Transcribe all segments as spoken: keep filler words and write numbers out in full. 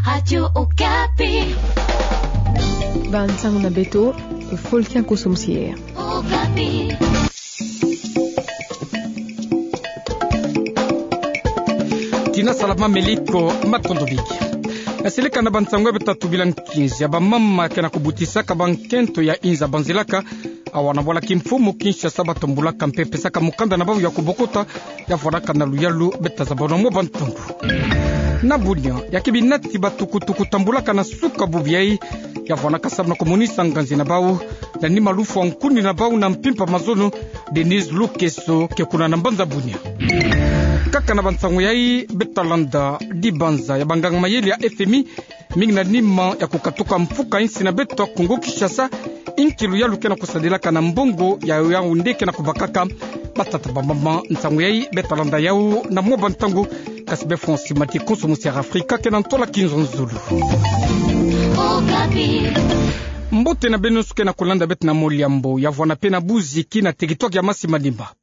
Radio Okapi. Bansango na beto, Voltaire Koso Musiere. Okapi. Tina salama, meliko matondo mingi. Yaseleka na bansango ya beto tatu bila nkinzi ya bamama ke na kubutisaka bankento ya inza banzilaka awa na bwala kimfumu Kinshasa, batambulaka mpe pesaka mukanda na bau ya kubokota, ya vwanaka na luyalu beto tazabana mwa bantangu. Na bunia, ya ke binati batukutuku tambulaka na suka bubu yai, ya vwanaka samu na kumonisa nganzi na bau, na nima lufwa nkuni na bau na mpimpa mazono, Denise Lukeso ke kuna na mbanza bunia. Kaka na bansango yai, beto talanda dibanza ya banganga mayele ya F M I, mingi na nima ya kukatuka mfuka insi na beto Kongo Kinshasa, inki luyalu ke na kusadilaka na mbongo ya Yaoundé ke na kubakaka batata bamama. Nsangu yai beto talanda yau na mwa bantangu, kasi be Francis Mati Konso Musiere Afrika ke na ntola kinzonzolo. Mbote na beno nsuki na kulanda beto na moliambo ya vwana pe na buziki na teritware ya Masi Manimba.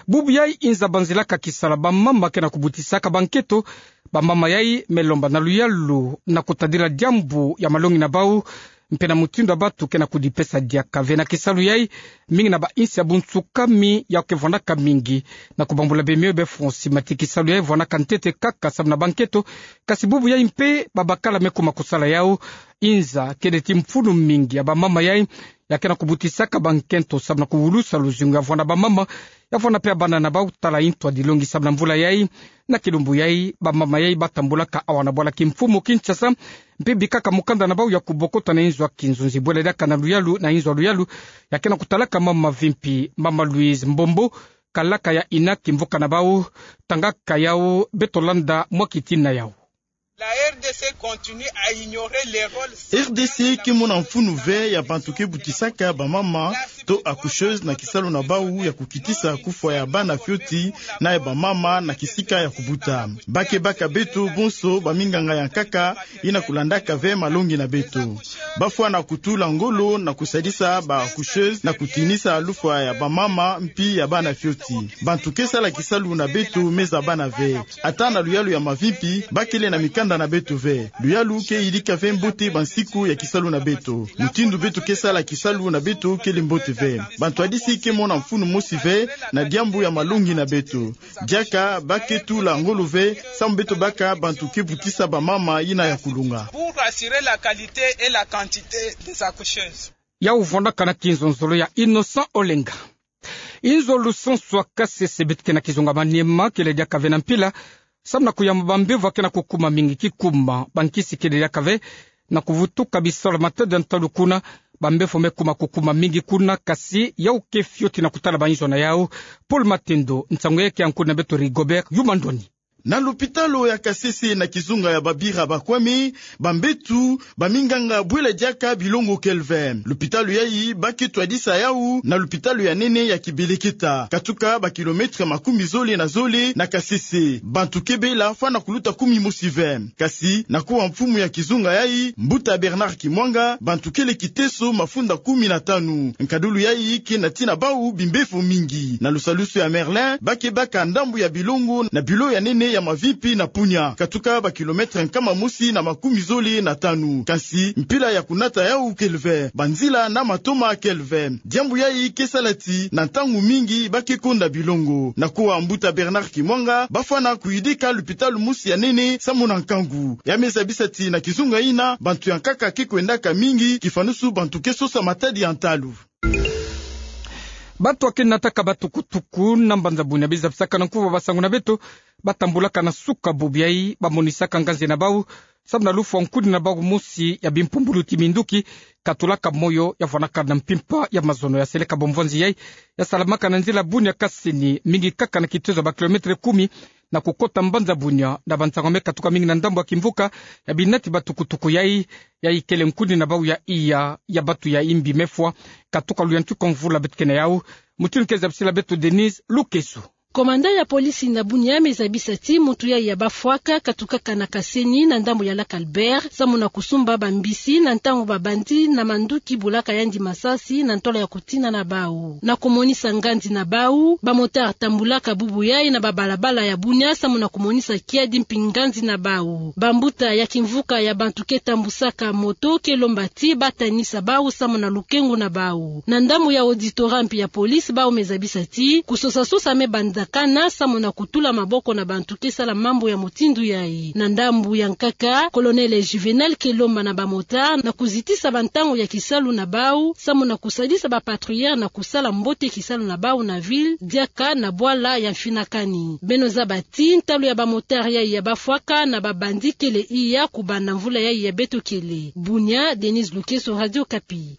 Bubu yai inza banzilaka kisala bamama ke na kubutisaka bankento, bamama yai me lomba na luyalu na kutadila diambu ya malongi na bau, mpe na mutindu ya batu ke na kudipesa diaka ve na kisalu yai, mingi na bainsi ya bunsukami ya ke vwanaka mingi. Na kubambula bemio be Francis Mati, kisalu yai vwanaka ntete kaka samu na bankento, kasi bubu yai mpe babakala me kuma kusala yau, inza kele ti mfunu mingi ya bamama yai, ya ke na kubutisaka bankento samu na kuwulusa luzingu ya vwana bamama, ya vwana pe ya bana na bau tala intwadilongi samu na mvula yai. Na kilumbu yai, bamama yai batambulaka awa na bwala kimfumu Kinshasa, mpe bikaka mukanda na bau ya kubokota na inzo ya kinzonzi bwela diaka na luyalu, na inzo ya luyalu, ya ke na kutalaka mama mavimpi, mama Louise Mbombo, kalaka ya ina kimvuka na bau, tangaka yau, beto landa mwa kitina yau. La R D C continue à ignorer les rôles. R D C ke mona mfunu ve ya bantu ke butisaka bamama to accoucheuse na kisalu na bau ya kukitisa kufwa ya bana fioti na ya bamama na kisika ya kubuta. Ba ke baka beto bonso baminganga ya nkaka yina kulandaka ve malongi na beto. Bafwana kutula ngolo na kusadisa ba accoucheuse na kutinisa lufwa ya bamama mpi ya bana fioti. Bantu ke sala kisalu na beto me zabana ve. Ata na luyalu ya mavimpi, ba kele na mikanda na beto ve. Luyalu ke yidika ve mbote bansiku ya kisalu na beto. Mutindu beto ke sala kisalu na beto kele mbote ve. Bantwadisi ke mona mfunu mosi ve na diambu ya malongi na beto. Diaka ba ke tula ngolo ve, samu beto baka bantu ke butisa bamama yina ya kulunga. Pour assurer la qualité et la quantité des accoucheuses. Yau vwanaka na kinzonzolo ya Innocent Olenga. Inzo lusansu ya Kasese beto ke na kizunga Maniema kele diaka ve na mpila, samu na kuyamba bambevo ya ke na kukuma mingi kikuma, bankisi kele diaka ve, na kuvutuka bisalu ya matadi ya ntalu kuna, bambevo me kuma kukuma mingi kuna, kasi yau ke fioti na kutala bainzo na yau. Paul Matendo, nsangu yai ke yankudi na beto Rigobert Yuma Ndoni. Na lupitalu ya Kasese na kizunga ya Babira Bakwame, bambetu, baminganga bwela diaka bilongo kele ve. Lupitalu yai ba ke twadisa yau na lupitalu ya nene ya Kibeleketa, katuka ba kilomètre makumi zole na zole na Kasese. Bantu ke bela fwana kuluta kumi mosi ve. Kasi na kuwa mfumu ya kizunga yai, Mbuta Bernard Kimwanga, bantu kele kiteso mafunda kumi na tanu. Nkadulu yai ke na tina bau bimbevo mingi. Na lusalusu ya Merlin, ba ke baka ndambu ya bilongo na bilo ya nene ya mavimpi na Punya, katuka ba kilomètre nkama mosi na makumi zole na tanu. Kasi mpila ya kunata yau kele ve, banzila na matoma kele ve. Diambu yai ke sala ti na ntangu mingi ba ke konda bilongo. Na kuwa Mbuta Bernard Kimwanga, ba fwana kuyidika lupitalu mosi ya nene samu na nkangu. Ya me zabisa ti na kizunga yina, bantu ya nkaka ke kwendaka mingi, kifanusu bantu ke sosa matadi ya ntalu. Bantu ya ke nataka batukutuku na mbanza Bunia bizapisaka na nkuvu ya basangu na beto, ba tambulaka na suka bubu yai, ba monisaka nganzi na bau, samu na lufwa nkuni na bau mosi ya bimpumbulu ti minduki, katulaka moyo, ya vwanaka na mpimpa ya mazono. Ya seleka bomvwanzi yai, ya salamaka na nzila Bunia Kasini, mingi kaka na kitezo ya ba kilomètre kumi, na kukota mbanza Bunia, na bansangu me katuka mingi na ndambu ya kimvuka ya binati batukutuku yai, yai kele nkuni na bau ya iya ya bantu ya imbi me fwa, katuka luyantika mvula beto ke na yau. Mutindu ke zabisila beto Denise Lukeso. Komanda ya polisi na Bunia me zabisa ti muntu yayi ya bafwaka katukaka na Kaseni na ndambu ya Lac Albert, samu na kusumba bambisi na ntangu ba bandit na manduki bulaka yandi masasi na ntwala ya kutina na bau. Na kumonisa nganzi na bau, ba motard tambulaka bubu yayi na babalabala ya Bunia samu na kumonisa kiadi mpi nganzi na bau. Bambuta ya kimvuka ya bantu ke tambusaka moto ke lomba ti batanisa bau samu na lukengu na bau. Na ndambu ya auditora mpi ya polisi, bau me zabisa ti kusosasosa me bandakana samu na kutula maboko na bantu ke sala mambu ya mutindu yayi. Na ndambu ya nkaka, Colonel Juvenal ke lomba na ba motard na kuzitisa bantangu ya kisalu na bau samu na kusadisa ba patrouilleurs na kusala mbote kisalu na bau na ville, diaka na bwala ya mfinakani. Beno zaba ti ntalu ya ba motard yayi ya bafwaka na ba bandit kele iya kubanda mvula yayi ya beto kele. Bunia, Denise Lukezo, Radio Okapi.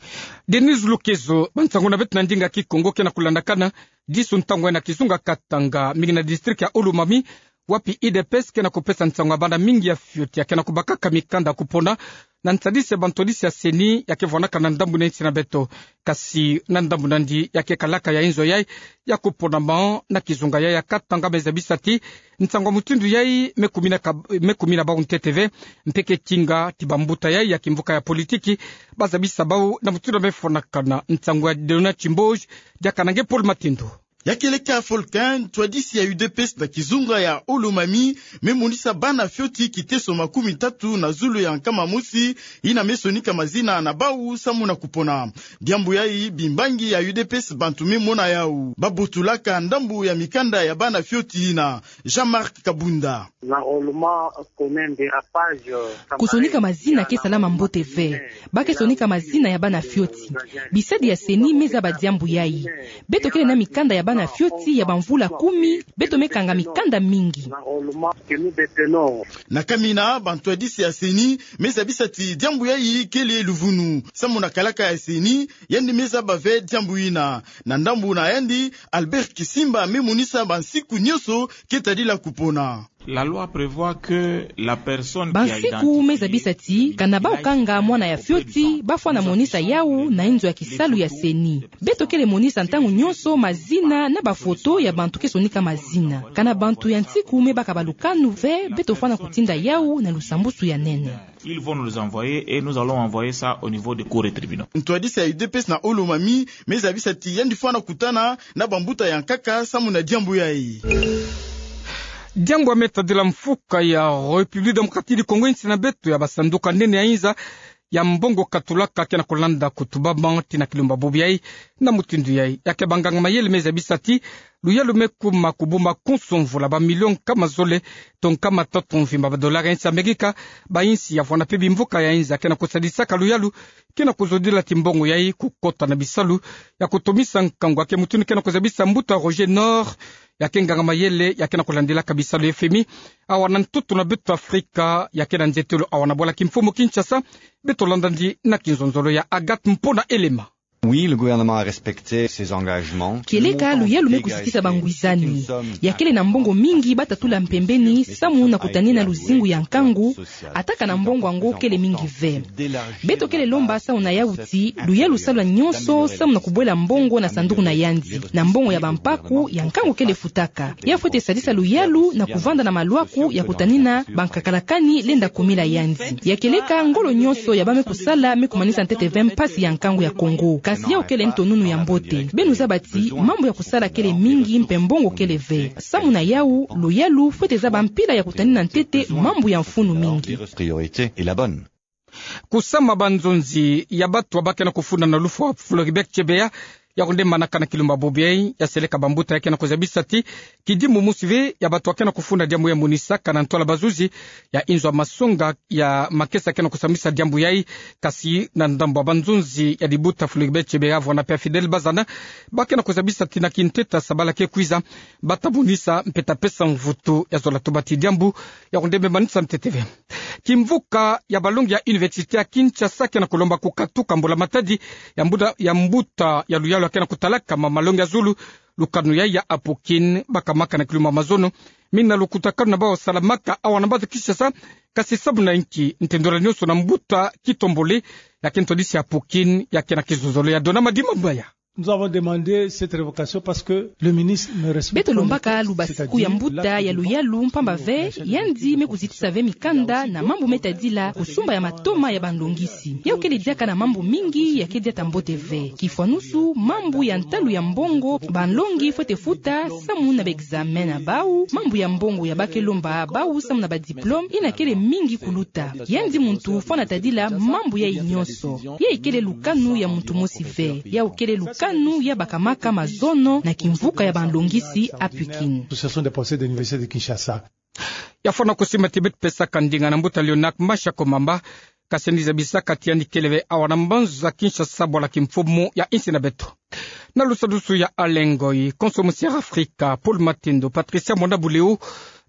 Denise Lukezo. Bansangu na beto na ndinga Kikongo ke na kulandakana disu ntangu yayi na kizunga Katanga, mingi na district ya Haut-Uémanie, wapi U D P S ke na kupesa nsangu ya bana mingi ya fioti ya ke na kubakaka mikanda ya kupona na nsadisi ya bantwadisi ya CENI ya ke vwanaka na ndambu na insi na beto. Kasi na ndambu nandi ya ke kalaka ya inzo yayi ya kuponama na kizunga yayi ya Katanga me zabisa ti nsangu ya mutindu yayi me kumina ka-, me kumina bau ntete ve, mpe ke tinga ti bambuta yayi ya kimvuka ya politiki ba zabisa bau na mutindu ya me fwanakana. Nsangu ya Dona Chimboge, diaka na nge Paul Matindu. Ya kieleka Volcan, ntwadisi ya U D P S na kizunga ya Haut-Uémanie, me monisa bana fioti kiteso makumi tatu na zulu ya nkama mosi, yina me sonika mazina na bau samu na kupona. Diambu yayi, bimbangi ya U D P S bantu me mona yau. Ba botulaka ndambu ya mikanda ya bana fioti yina. Jean-Marc Kabunda. Kusonika mazina ke salama mbote ve. Ba ke sonika mazina ya bana fioti. Bisadi ya CENI me zaba diambu yayi. Beto kele na mikanda ya bana fioti ya bamvula kumi, beto me kanga mikanda mingi. Na kamina, bantwadisi ya CENI me zabisa ti diambu yayi kele luvunu. Samu na kalaka ya CENI, yandi me zaba ve diambu yina. Na ndambu na yandi, Albert Kisimba me monisa bansiku nyonso ke tadila kupona. La loi prévoit que la personne qui a identifié... Bansiku me zabisa ti kana bau kanga mwana ya fioti, bafwana monisa yau na inzo ya kisalu ya CENI. Beto kele monisa ntangu nyonso mazina na bafoto ya bantu ke sonika mazina. Kana bantu ya nsiku me baka balukanu ve, beto fwana kutinda yau na lusambusu ya nene. Ils vont nous envoyer et nous allons envoyer ça au niveau des cours et tribunaux. Ntwadisi ya U D P S na Haut-Uémanie me zabisa ti yandi fwana kutana na bambuta ya nkaka samu na diambu yayi. Diambu ya me tadila mfuka ya République Démocratique du Congo, insi na beto, ya basanduku ya nene ya inza ya mbongo katulaka ke na kulanda kutubama tii na kilumba bobo yayi. Na mutindu yayi, ya ke banganga mayele me zabisa ti luyalu me kuma kubuma konso mvula, ba million nkama zole to nkama tatu mvimba ba dollar ya insi Amerika. Ba insi ya vwana mpe bimvuka ya inza ke na kusadisaka luyalu ke na kuzodila ti mbongo yayi kukota na bisalu ya kutomisa nkangu. Ya ke mutindu ke na kuzabisa mbuta Roger Nord, ya ke nganga mayele ya ke na kulandilaka bisalu ya F M I, awa na ntoto na beto Afrika, ya ke na nzetelo awa na bwala kimfumu Kinshasa. Beto landa ndi na kinzonzolo ya Agathe Mpona Elema. Oui, le gouvernement a respecté ses engagements. Kieleka, luyalu me kuzitisa bangwizani. Ya kele na mbongo mingi ba tatula mpembeni samu na kutanina luzingu ya nkangu, ata kana mbongo yango kele mingi ve. Beto kele lomba samu na yau ti luyalu salwa nyonso samu na kubwela mbongo na sanduku na yandi, na mbongo ya bampaku ya nkangu kele futaka. Ya fwete sadisa luyalu na kuvanda na malwaku ya kutanina bankakalakani lenda kumila yandi. Ya kieleka, ngolo nyonso ya ba me kusala me kumanisa ntete ve mpasi ya nkangu ya Congo. Kasi yau kele ntonunu ya mbote. Beno zaba ti mambu ya kusala kele mingi mpe mbongo kele ve. Samu na yau, luyalu fwete zaba mpila ya kutanina ntete mambu ya mfunu mingi. Priorité est la bonne. Kusama banzonzi ya bato ba ke na kufunda na lufwa Floribert Chebeya, ya kunde manaka na kilumba bobo yayi, ya seleka bambuta ya ke na kuzabisa ti kidimbu mosi ve ya bato ba ke na kufunda diambu ya monisaka na ntwala bazuzi ya inzo ya masonga ya makesa ke na kusambisa diambu yayi. Kasi na ndambu ya banzonzi ya libuta Floribert Chebeya, vwana mpe ya Fidèle Bazana, ba ke na kuzabisa ti na kintete ya sabala ke kwiza, ba ta monisa mpe ta pesa mvutu ya zola tuba ti diambu ya kunde me manisa ntete ve. Kimvuka ya balongi ya Université ya Kinshasa ke na kulomba kukatuka mbula-matadi ya mbuta, ya mbuta ya luyalu ya ke na kutalaka ma malongi ya zulu, lukanu yayi ya Apokine, baka maka na kilumba mazono, mingi na lukutakanu na bau salamaka awa na mbazi Kinshasa, kasi samu na inki, ntendola nyonso na mbuta Kitombole, ya ke ntwadisi ya Apokine, ya ke na kizozolo ya Dona Madimambaya. Nous avons demandé cette révocation parce que le ministre ne respecte pas les textes. Beto lombaka lubasiku ya mbuta ya luyalu mpamba ve yandi me kuzitisa ve mikanda na mambu me tadila kusumba ya matoma ya banlongisi. Yawu kele diaka na mambu mingi ya ke diata mbote ve. Kifwanusu, mambu ya ntalu ya mbongo banlongi fwete futa samu na ba examen na bawu, mambu ya mbongo ya ba ke lomba bawu samu na ba diplôme ina kele mingi kuluta. Yandi muntu fwana tadila mambu yayi nyonso. Yayi kele lukanu ya muntu mosi ve. Yawu kele lukanu ya bakamaka mazono na kimvuka ya banlongisi Apukini. Association des professeurs de l'université de Kinshasa. Ya fwana kusimbati beto pesaka ndinga na mbuta Leonard Masha Komamba, kasi yandi zabisaka ti yandi kele ve awa na mbanza Kinshasa, bwala kimfumu ya insi na beto. Na lusadusu ya Alain Ngoyi, konso musi Air Africa, Paul Matindo, Patricia Mona Buleu,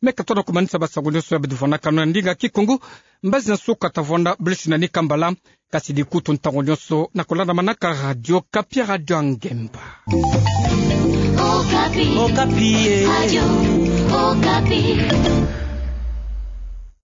me katona kumanisa basango nyonso ya beto vwanakano na ndinga Kikongo. Mbazi na nsuka tavwanda bulusi na ni kambala, kasi dikutu ntangu nyonso na kulandamanaka Radio Okapi, Radio ya Ngemba. Okapi. Okapi, eh. Radio Okapi.